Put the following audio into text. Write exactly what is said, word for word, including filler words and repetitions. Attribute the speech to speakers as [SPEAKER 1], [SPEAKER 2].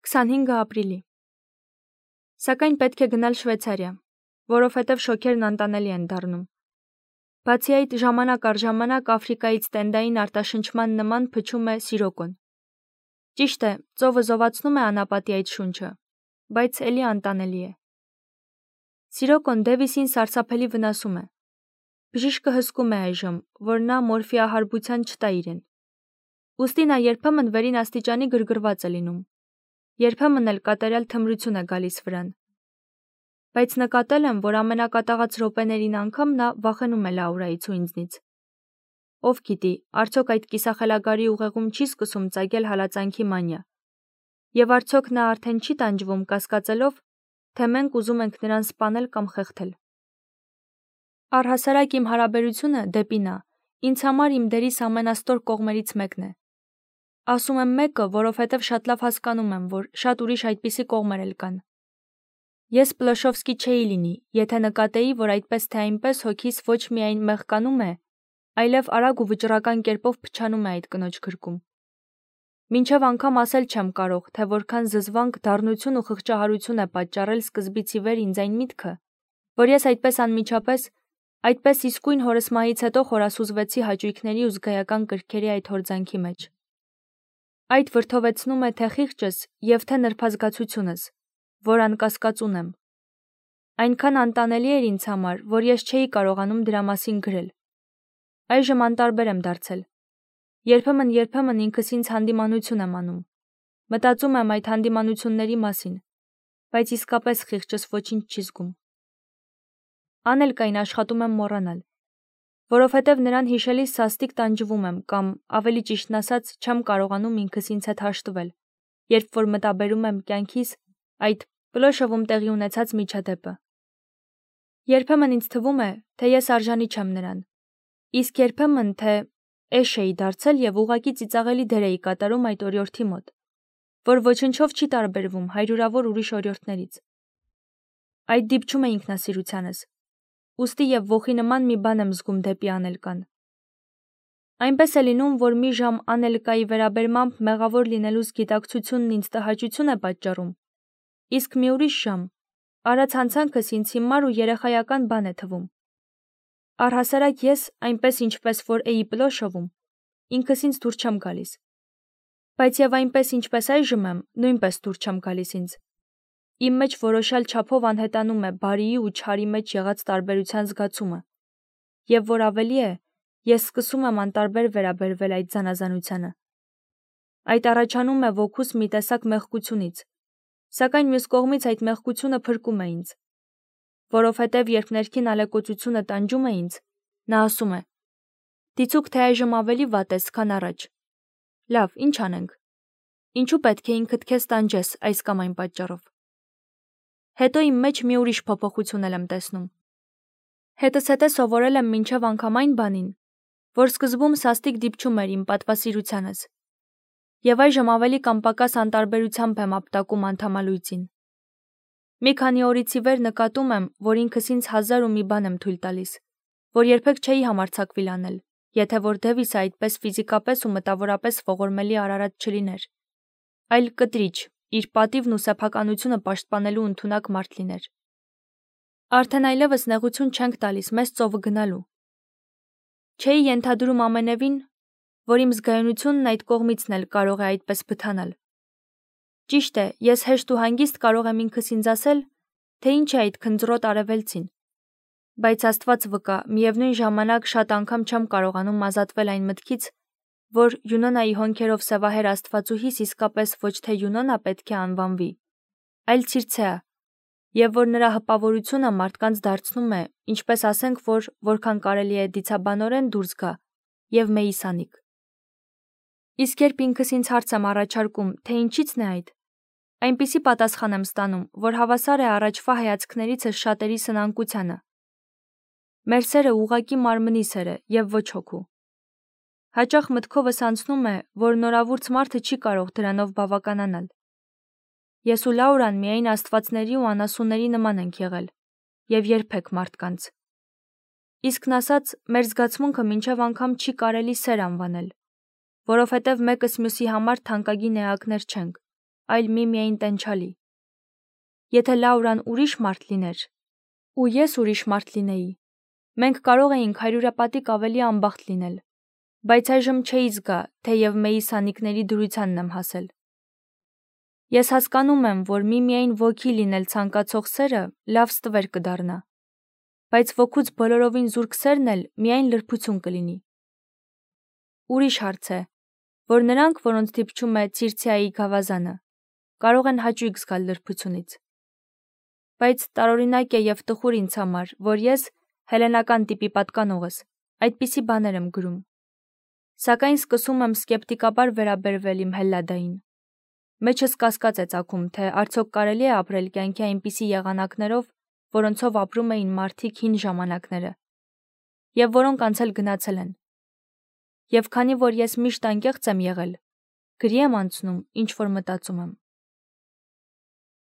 [SPEAKER 1] քսանհինգ ապրիլի։ Սակայն պետք է գնալ Շվեյցարիա, որովհետև շոկերն անտանելի են դառնում։ Բացի այդ, ժամանակ առ ժամանակ Աֆրիկայից տենդային արտաշնչման նման փչում է Սիրոկոն։ Ճիշտ է, ծովը զովացնում է անապատի այդ շունչը, բայց էլի անտանելի է։ Սիրոկոն Դևիսին սարսափելի վնասում է։ Բժիշկը հսկում է այժմ, որ նա մորֆիահարբության չտա իրեն։ Ուստի նա երբեմն վերին աստիճանի գրգռված է լինում, երբեմն էլ կատարյալ թմրություն է գալիս վրան։ Բայց նկատել եմ, որ ամենակատաղած րոպեներին անգամ նա վախենում է Լաուրայից ու ինձնից։ Ով գիտի, արդյոք այդ կիսախելագարի ուղեղում չի սկսում ծագել հալածանքի մանիա։ Եվ արդյոք նա արդեն չի տանջվում կասկածելով, թե մենք ուզում ենք նրան սպանել կամ խեղդել։ Առհասարակ իմ հարաբերությունը դեպի նա ինձ համար իմ դերիս ամենաստոր կողմերից մեկն է։ Ասում եմ մեկը, որովհետև շատ լավ հասկանում եմ, որ շատ ուրիշ այդպիսի կողմեր էլ կան։ Ես Պլոշովսկի չէի լինի, եթե նկատեի, որ այդպես թե այնպես հոգիս ոչ միայն մեղկանում է, այլև արագ ու վճռական կերպով փչանում է այդ կնոջ գրկում։ Մինչև անգամ ասել չեմ կարող, թե որքան զզվանք, դառնություն ու խղճահարություն է պատճառել սկզբից ի վեր ինձ այն միտքը, որ ես այդպես անմիջապես, այդպես իսկույն հորս մահից հետո խորասուզվեցի հաճույքների ու զգայական կրքերի այդ հորձանքի մեջ։ Այդ վրդովեցնում է թե խիղճս և թե նրբազգացությունս, որ անկասկած ունեմ։ Այնքան անտանելի էր ինձ համար, որ ես չէի կարողանում դրա մասին գրել։ Այժմ անտարբեր եմ դարձել։ Երբեմն-երբեմն ինքս ինձ հանդիմանություն եմ անում։ Մտածում եմ այդ հանդիմանությունների մասին, բայց իսկապես խիղճս ոչինչ չի զգում։ Անելկային աշխատում եմ մոռանալ, որովհետև նրան հիշելիս սաստիկ տանջվում եմ կամ, ավելի ճիշտն ասած, չեմ կարողանում ինքս ինձ հետ հաշտվել, երբ որ մտաբերում եմ կյանքիս այդ Պլոշովում տեղի ունեցած միջադեպը։ Երբեմն ինձ թվում է, թե ես արժանի չեմ նրան, իսկ երբեմն թե էշ էի դարձել և ուղղակի ծիծաղելի դեր էի կատարում այդ օրիորդի մոտ, որ ոչնչով չի տարբերվում հարյուրավոր ուրիշ օրիորդներից։ Այդ դիպչում է ինքնասիրությանս, ուստի և ոխի նման մի բան եմ զգում դեպի անելկան։ Այնպես է լինում, որ մի ժամ անելկայի վերաբերմամբ մեղավոր լինելուս գիտակցությունն ինձ տհաճություն է պատճառում, իսկ մի ուրիշ ժամ արած հանցանքս ինձ հիմար ու երեխայական բան է թվում։ Առհասարակ ես, այնպես ինչպես որ էի Պլոշովում, ինքս ինձ դուր չեմ գալիս։ Բայց և այնպես ինչպես այժմ եմ, նույնպես դուր չեմ գալիս ինձ։ Իմ մեջ որոշյալ չափով անհետանում է բարիի ու չարի մեջ եղած տարբերության զգացումը, և որ ավելի է, ես սկսում եմ անտարբեր վերաբերվել այդ զանազանությանը։ Այդ առաջանում է ոգուս մի տեսակ մեղքությունից, սակայն մյուս կողմից այդ մեղքությունը փրկում է ինձ, որովհետև երբ ներքին ալեկոծությունը տանջում է ինձ, նա ասում է. «Դիցուք թե այժմ ավելի վատ ես, քան առաջ։ Լավ, ինչ անենք։ Ինչու պետք է ինքդ քեզ տանջես այս կամ այն պատճառով»։ Հետո իմ մեջ մի ուրիշ փոփոխություն եմ տեսնում։ Հետզհետե սովորել եմ մինչև անգամ այն բանին, որ սկզբում սաստիկ դիպչում էր իմ պատվասիրությանս, և այժմ ավելի կամ պակաս անտարբերությամբ եմ ապտակում անդամալույծին։ Մի քանի օրից ի վեր նկատում եմ, որ ինքս ինձ հազար ու մի բան եմ թույլ տալիս, որ երբեք չէի համարձակվիլ անել, եթե որ Դևիսը այդպես ֆիզիկապես ու մտավորապես ողորմելի արարած չլիներ, այլ կտրիչ, իր պատիվն ու սեփականությունը պաշտպանելու ընդունակ մարդ լիներ։ Արդեն այլևս նեղություն չենք տալիս մեզ ծովը գնալու։ Չէի ենթադրում ամենևին, որ իմ զգայունությունն այդ կողմիցն էլ կարող է այդպես բթանալ։ Ճիշտ է, ես հեշտ ու հանգիստ կարող եմ ինքս ինձ ասել, թե ինչ է այդ քնձռոտ արևելցին, բայց Աստված վկա, միևնույն ժամանակ շատ անգամ չեմ կարողանում ազատվել այն մտքից, որ Յունոնայի հոնքերով սևահեր Աստվածուհիս իսկապես ոչ թե Յունոնա պետք է անվանվի, այլ Ցիրցեա, և որ նրա հպավորությունը մարդկանց դարձնում է, ինչպես ասենք, որ որքան կարելի է դիցաբանորեն դուրս գա, և մեիսանիկ։ Իսկ երբ ինքս ինձ հարց եմ առաջարկում, թե ինչից՞ն է այդ, այնպիսի պատասխան եմ ստանում, որ հավասար է առաջվա հայացքներիցս շատերի սնանկությանը։ Մեր սերը ուղղակի մարմնի սեր է և ոչ հոգու։ Հաճախ մտքովս անցնում է, որ նորավուրց մարդը չի կարող դրանով բավականանալ։ Ես ու Լաուրան միայն աստվածների ու անասունների նման ենք եղել, և երբեք մարդկանց։ Իսկն ասած, մեր զգացմունքը մինչև անգամ չի կարելի սեր անվանել, որովհետև մեկս մյուսի համար թանկագին էակներ չենք։ այլ միմիայն տենչալի։ Եթե Լաուրան ուրիշ մարդ լիներ, ու ես ուրիշ մարդ լինեի, մենք կարող էինք հարյուրապատիկ ավելի անբախտ լինել, բայց այժմ չէի զգա, թեև մեի սանիկների դրությանն եմ հասել։ Ես հասկանում եմ, որ միմիայն ոգի լինել ցանկացող սերը լավ ստվեր կդառնա, բայց ոգուց բոլորովին զուրկ սերն էլ միայն լրբություն կլինի։ Ուրիշ հարց է, որ նրանք, որոնց դիպչում է Ցիրցիայի գավազանը, կարող են հաճույք զգալ լրբությունից։ Բայց տարօրինակ է եւ տխուր ինձ համար, որ ես, հելենական տիպի պատկանողս, այդպիսի բաներ եմ գրում։ Սակայն սկսում եմ սկեպտիկաբար վերաբերվել իմ Հելլադային։ Մեջս կասկած է ծագում, թե արդյոք կարելի է ապրել կյանքի այնպիսի եղանակներով, որոնցով ապրում էին մարդիկ հին ժամանակները, եւ որոնք անցել գնացել են։ Եվ քանի որ ես միշտ անկեղծ եմ եղել, գրի եմ անցնում, ինչ որ մտածում եմ։